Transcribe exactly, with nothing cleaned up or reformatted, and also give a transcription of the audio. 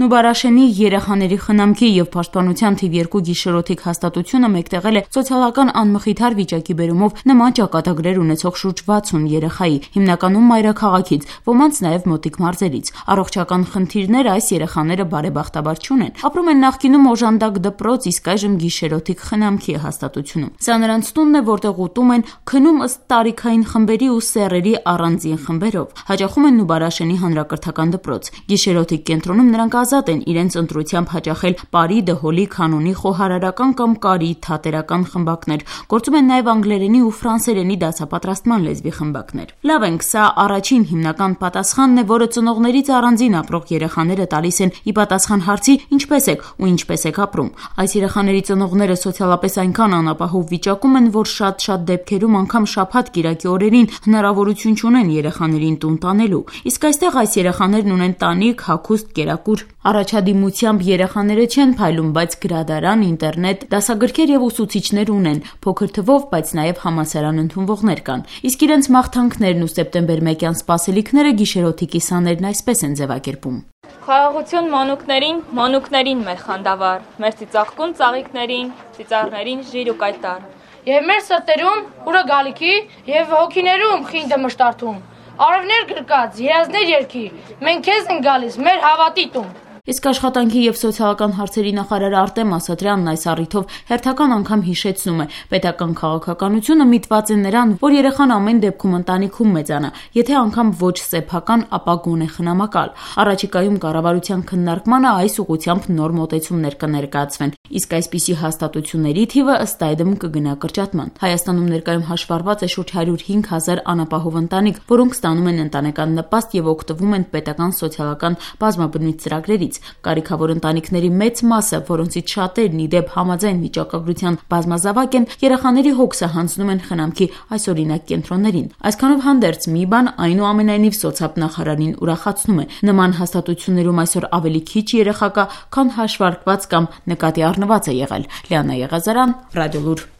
Նուբարաշենի երեխաների խնամքի և պաշտպանության թիվ երկու գիշերօթիկ հաստատությունը մեկտեղել է սոցիալական անմխիթար վիճակի բերումով նման ճակատագրեր ունեցող շուրջ վաթսուն երեխայի, հիմնականում մայրաքաղաքից, ոմանց նաև մոտիկ մարզերից։ Առողջական խնդիրներ այս երեխաները բարեբախտաբար չունեն։ Ապրում են նախկինում օժանդակ դպրոց, իսկ այժմ գիշերօթիկ խնամքի հաստատությունում։ Սա նրանց տունն է, որտեղ ուտում են, քնում ըստ տարիքային խմբերի ու սեռերի առանձին խմբերով։ Հաճախում են Նուբարաշենի հանրակրթական դպրոց։ Գիշերօթիկ կենտրոնում նրանք ազատ են իրենց ընտրությամբ հաճախել պարի, դհոլի, քանունի, խոհարարական կամ կարի, թատերական խմբակներ։ Գործում են նաև անգլերենի ու ֆրանսերենի դասապատրաստման լեզվի խմբակներ։ Լավ ենք, սա առաջին հիմնական պատասխանն է, որը ծնողներից առանձին ապրող երեխաները տալիս են ի պատասխան հարցի՝ ինչպես եք ու ինչպես եք ապրում։ Այս երեխաների ծնողները սոցիալապես այնքան անապահով վիճակում են, որ շատ-շատ դեպքերում անգամ շաբաթ-կիրակի օրերին հնարավորություն չունեն երեխաներին տուն տանելու։ Իսկ այստեղ այս երեխաներն ունեն տանիք, հագուստ, կերակուր։ Առաջադիմությամբ երեխաները չեն փայլում, բայց գրադարան, ինտերնետ, դասագրքեր եւ ուսուցիչներ ունեն, փոքր թվով, բայց նաեւ համալսարան ընդունվողներ կան։ Իսկ իրենց մաղթանքներն ու սեպտեմբեր մեկյան սպասելիքները գիշերօթիկի սաներն այսպես են ձևակերպում։ Խաղաղություն մանուկներին, մանուկներին մեր խանդավառ, մեր ծիծաղկուն ծաղիկներին, ծիծաղներին ժիր ու կայտար։ Եվ մեր սրտերում ուրը գալիքի եւ հոգիներում խինդը մշտարթում։ Արևներ գրկած, երազներ երկի, մենք քեզ ենք գալիս, մեր հավատի տուն։ Իսկ աշխատանքի և սոցիալական հարցերի նախարար Արտեմ Ասատրյանն այս առիթով հերթական անգամ հիշեցնում է՝ պետական քաղաքականությունը միտված է նրան, որ երեխան ամեն դեպքում ընտանիքում մեծանա, եթե անգամ ոչ սեփական, ապա գոնե խնամակալ։ Առաջիկայում կառավարության քննարկմանը այս ուղղությամբ նոր մոտեցումներ կներկայացվեն, իսկ այսպիսի հաստատությունների թիվը ըստ այդմ կգնա կրճատման։ Հայաստանում ներկայում հաշվառված է շուրջ հարյուր հինգ հազար անապահով ընտանիք, որոնք ստանում են ընտանեկան նպաստ և օգտվում են պետական սոցիալական բազմաբնույթ ծրագրերից։ Կարիքավոր ընտանիքների մեծ մասը, որոնցից շատերն ի դեպ համաձայն վիճակագրության բազմազավակ են, երեխաների հոգսը հանձնում են խնամքի այսօրինակ կենտրոններին։ Այսքանով հանդերձ մի բան այնուամենայնիվ սոցիալնախարարին ուրախացնում է։ Նման հաստատություններում այսօր ավելի քիչ երեխա կա, քան հաշվարկված կամ նկատի առնված է եղել։ Լիանա Եղազարյան, Ռադիոլուր։